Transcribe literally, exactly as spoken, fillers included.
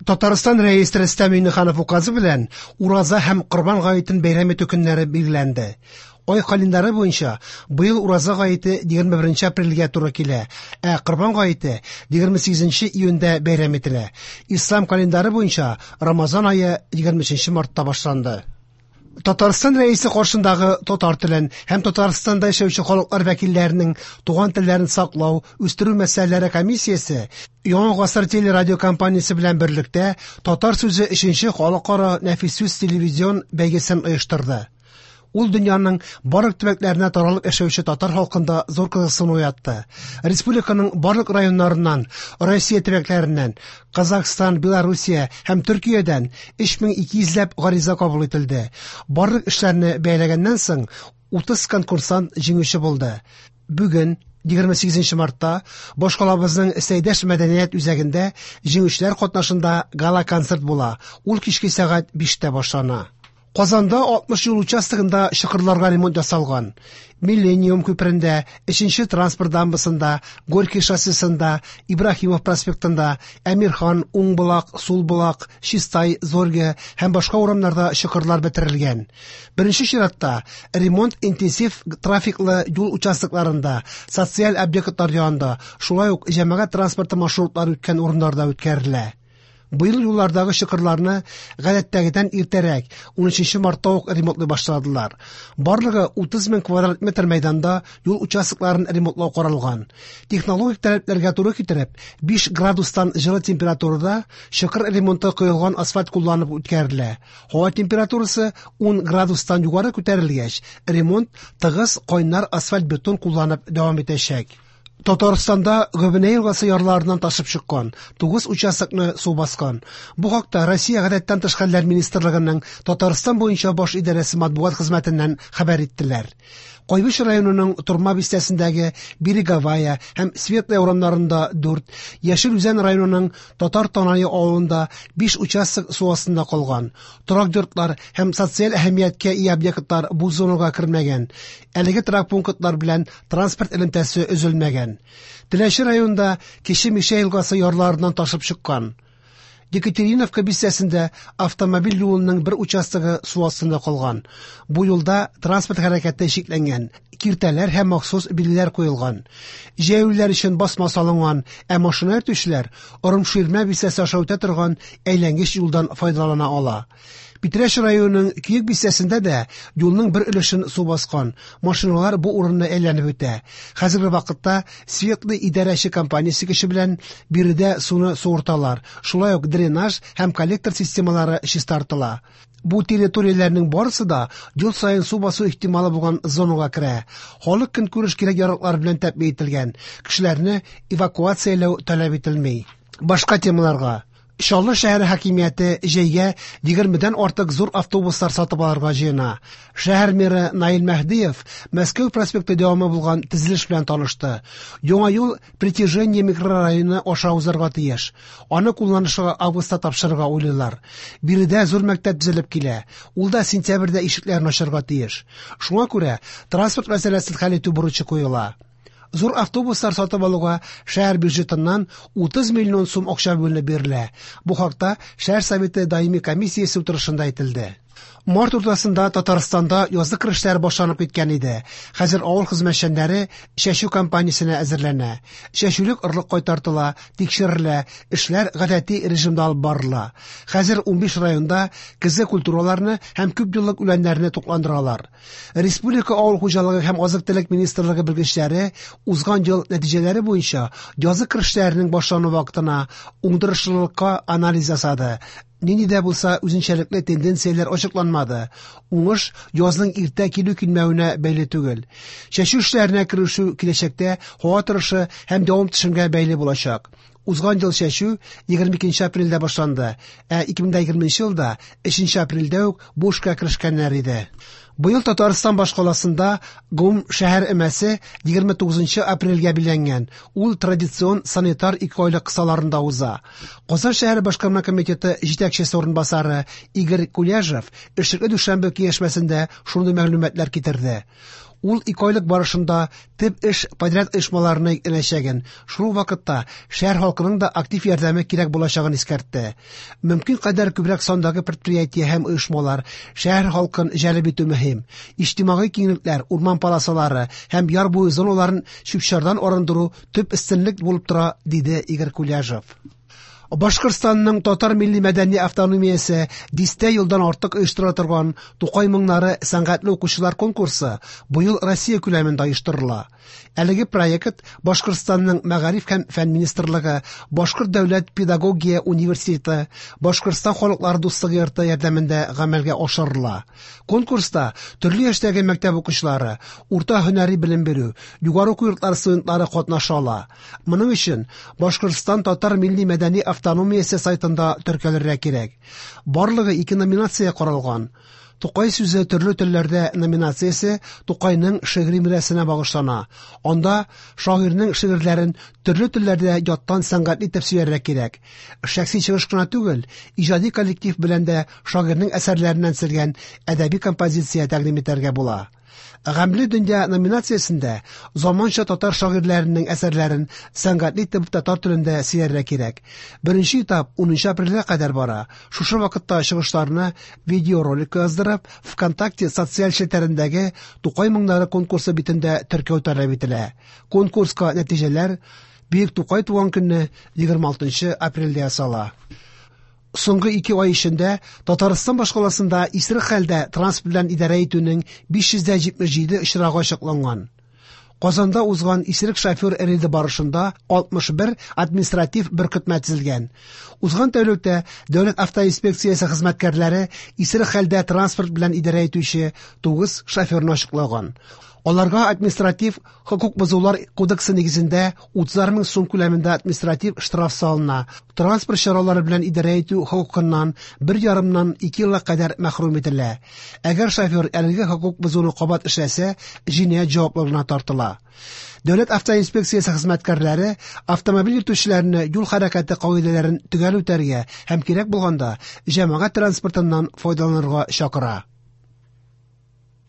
Татарстан Рәисе Рөстәм Миңнеханов указы белән Ураза һәм Корбан гаетен бәйрәм итү көннәре билгеләнде. Ай календары буенча быел Ураза гаете егерме беренче апрельгә туры килә, ә Корбан гаете егерме сигезенче июньдә бәйрәм ителә. Ислам календары буенча Рамазан ае егерме өченче мартта башланды. Татарстан Рәисе каршындагы татар телен һәм Татарстанда яшәүче халыклар вәкилләренең туган телләрен саклау, үстерү мәсьәләләре комиссиясе Яңа гасыр телерадиокомпаниясе белән берлектә Татар сүзе өченче халыкара нәфис сүз телевизион бәйгесен оештырды. Ул дөньяның барлык төбәкләренә таралып яшәүче татар халкында зур кызыксыну уятты. Республиканың барлык районнарыннан, Россия төбәкләреннән, Казахстан, Белоруссия һәм Төркиядән өч мең ике йөзләп гариза кабул ителде. Барлык эшләрне бәяләгәннән соң утыз конкурсант җиңүче булды. Бүген егерме сигезенче мартта башкалабызның Сәйдәш мәдәният үзәгендә җиңүчеләр катнашында гала-концерт була. Ул кичке сәгать биштә башлана. Казанда алтмыш юл участогында чокырларга ремонт ясалган. Миллениум күперендә, өченче транспорт дамбасында, Горький шоссесында, Ибраһимов проспектында, Әмирхан, Уңбулак, Сулбулак, Чистай, Зорге һәм башка урамнарда чокырлар бетерелгән. Беренче чиратта ремонт интенсив трафиклы юл участокларында, социаль объектлар янында, шулай ук җәмәгать транспорты маршрутлары үткән урыннарда үткәрелә. Быел юллардагы чокырларны гадәттәгедән иртәрәк, унөченче мартта ук ремонтлый башладылар. Барлыгы утыз мең квадрат метр мәйданда юл участокларын ремонтлау каралган. Технологик таләпләргә туры китереп, биш градустан җылы температурада чокыр ремонты коелган асфальт кулланып үткәрелә. Һава температурасы ун градустан югары күтәрелгәч, ремонт тыгыз кайнар асфальт бетон кулланып дәвам итәчәк. Татарстанда Гөбенә елгасы ярларыннан ташып чыккан тугыз участокны су баскан. Бу хакта Россия Гадәттән тыш хәлләр министрлыгының Татарстан буенча баш идарәсе матбугат хезмәтеннән хәбәр иттеләр. Кайбыч районының Торма бистәсендәге Береговая һәм Светлая урамнарында дүрт, Яшел Үзән районының Татар Танайы авылында биш участок су астында калган. Торак йортлар һәм социаль әһәмияткә ия объектлар бу зонага кермәгән. Әлеге торак пунктлар белән транспорт элемтәсе өзелмәгән. Теләче районында Кече Мишә елгасы ярларыннан ташып чыккан. Екатериновка бистәсендә автомобиль юлының бер участогы су астында калган. Бу юлда транспорт хәрәкәте чикләнгән, киртәләр һәм махсус билгеләр куелган. Җәяүлеләр өчен басма салынган, ә машина йөртүчеләр Орымширмә бистәсе аша үтә торган әйләнгеч юлдан файдалана ала. Питрәч районының Көек бистәсендә дә юлның бер өлешен су баскан. Машиналар бу урынны әйләнеп үтә. Хәзерге вакытта Светлый идарәче компаниясе көче белән биредә суны суырталар. Шулай ук дренаж һәм коллектор системалары чистартыла. Бу территорияләрнең барысы да ел саен су басу ихтималы булган зонага керә. Халык көнкүреш кирәк-яраклар белән тәэмин ителгән. Кешеләрне эвакуацияләү таләп ителми. Башка темаларга. Чаллы шәһәре хакимияте җәйгә егермедән артык зур автобуслар сатып алырга җыена. Шәһәр мэры Наил Мәһдиев Мәскәү проспекты дәвамы булган төзелеш белән танышты. Яңа юл Притяжение микрорайоны аша узарга тиеш. Аны кулланышка августта тапшырырга уйлыйлар. Биредә зур мәктәп төзелеп килә. Ул да сентябрьдә ишекләрен ачарга тиеш. Шуңа күрә транспорт мәсьәләсен хәл итү бурычы куела. Зур автобуслар сатып алуга шәһәр бюджетыннан утыз миллион сум акча бүленеп бирелә. Бу хакта шәһәр советы даими комиссиясе утырышында әйтелде. Март уртасында Татарстанда язгы кыр эшләре башланып киткән иде. Хәзер авыл хезмәтчәннәре чәчү кампаниясенә әзерләнә. Чәчүлек орлык кайтартыла, тикшерелә, эшләр гадәти режимда алып барыла. Хәзер унбиш районда көзге культураларны һәм күп еллык үләннәрне тукландыралар. Республика авыл хуҗалыгы һәм азык-төлек министрлыгы белгечләре узган ел нәтиҗәләре буенча язгы кыр эшләренең башлану вакытына уңдырышлылыкка анализ ясады. Нинди дә булса үзенчәлекле тенденцияләр ачыкланмады. Уңыш язның иртә килү килмәвенә бәйле түгел. Чәчү эшләренә керешү киләчәктә һава торышы һәм явым-төшемгә бәйле булачак. Узган ел чәчү егерме икенче апрельдә башланды, ә ике мең дә егерменче елда өченче апрельдә үк бу эшкә керешкәннәр иде. Быел Татарстан башкаласында гомумшәһәр өмәсе егерме тугызынчы апрельгә билгеләнгән. Ул традицион санитар икеайлык кысаларында уза. Казан шәһәре башкарма комитеты җитәкчесе урынбасары Игорь Куляжев эшлекле дүшәмбе киңәшмәсендә шундый мәгълүматлар китерде. Ул икеайлык барышында төп эш подряд оешмаларына йөкләнәчәген, шул ук вакытта шәһәр халкының да актив ярдәме кирәк булачагын искәртте. Мөмкин кадәр күбрәк сандагы предприятие һәм оешмалар шәһәр халкын җәлеп итү мөһим. Иҗтимагый киңлекләр, урман полосалары һәм яр буе зоналарын чүп-чардан арындыру төп өстенлек булып тора, диде Игорь Куляжев. Башкортстанның татар милли мәдәни автономиясе дистә елдан артык оештыра торган Тукай моңнары сәнгатьле укучылар конкурсы быел Россия күләмендә оештырыла. Әлеге проект Башкортстанның Мәгариф һәм фән министрлыгы, Башкорт дәүләт педагогия университеты, Башкортстан халыклары дуслыгы йорты ярдәмендә гамәлгә ашырыла. Конкурста төрле яшьтәге мәктәп укучылары, урта һөнәри белем бирү, югары уку йортлары студентлары катнаша ала. Моның өчен Башкортстан татар милли мәдәни автономиясе сайтында теркәлергә кирәк. Барлыгы ике номинация каралган. Тукай сүзе төрле телләрдә номинациясе Тукайның шигъри мирасына багышлана. Анда шагыйрьнең шигырьләрен төрле телләрдә яттан сәнгатьле итеп сөйләргә кирәк. Шәхси чыгыш кына түгел, иҗади коллектив белән дә шагыйрьнең әсәрләреннән төзелгән әдәби композиция тәкъдим итәргә була. Гамле дөнья номинациясендә заманча татар шагыйрьләренең әсәрләрен сәнгатьле итеп татар телендә сөйләргә кирәк. Беренче этап унынчы апрельгә кадәр бара. Шушы вакытта чыгышларны видеоролик яздырып, ВКонтакте социаль челтәрендәге Тукай моңнары конкурсы битендә теркәү таләп ителә. Конкурска нәтиҗәләр Бөек Тукай туган көнне егерме алтынчы апрельдә ясала. Соңгы ике ай эчендә Татарстан башкаласында исерек хәлдә транспорт белән идарә итүнең биш йөз дә җитмеш җиде очрагы ачыкланган. Казанда узган исерек шофер рейды барышында алтмыш бер административ беркетмә төзелгән. Узган тәүлектә Дәүләт автоинспекциясе хезмәткәрләре исерек хәлдә транспорт белән идарә итүче тугыз шоферны ачыклаган. Аларга административ хокук бозулар кодексы нигезендә утызар мең сум күләмендә административ штраф салына. Транспорт чаралары белән идарә итү хокукыннан бер ярымнан ике елга кадәр мәхрүм ителә. Әгәр шофер әлеге хокук бозуны кабат эшләсә, җинаять җаваплылыгына тартыла. Дәүләт автоинспекциясе хезмәткәрләре автомобиль йөртүчеләрне юл хәрәкәте кагыйдәләрен төгәл үтәргә һәм кирәк булганда җәмәгать транспортыннан файдаланырга чакыра.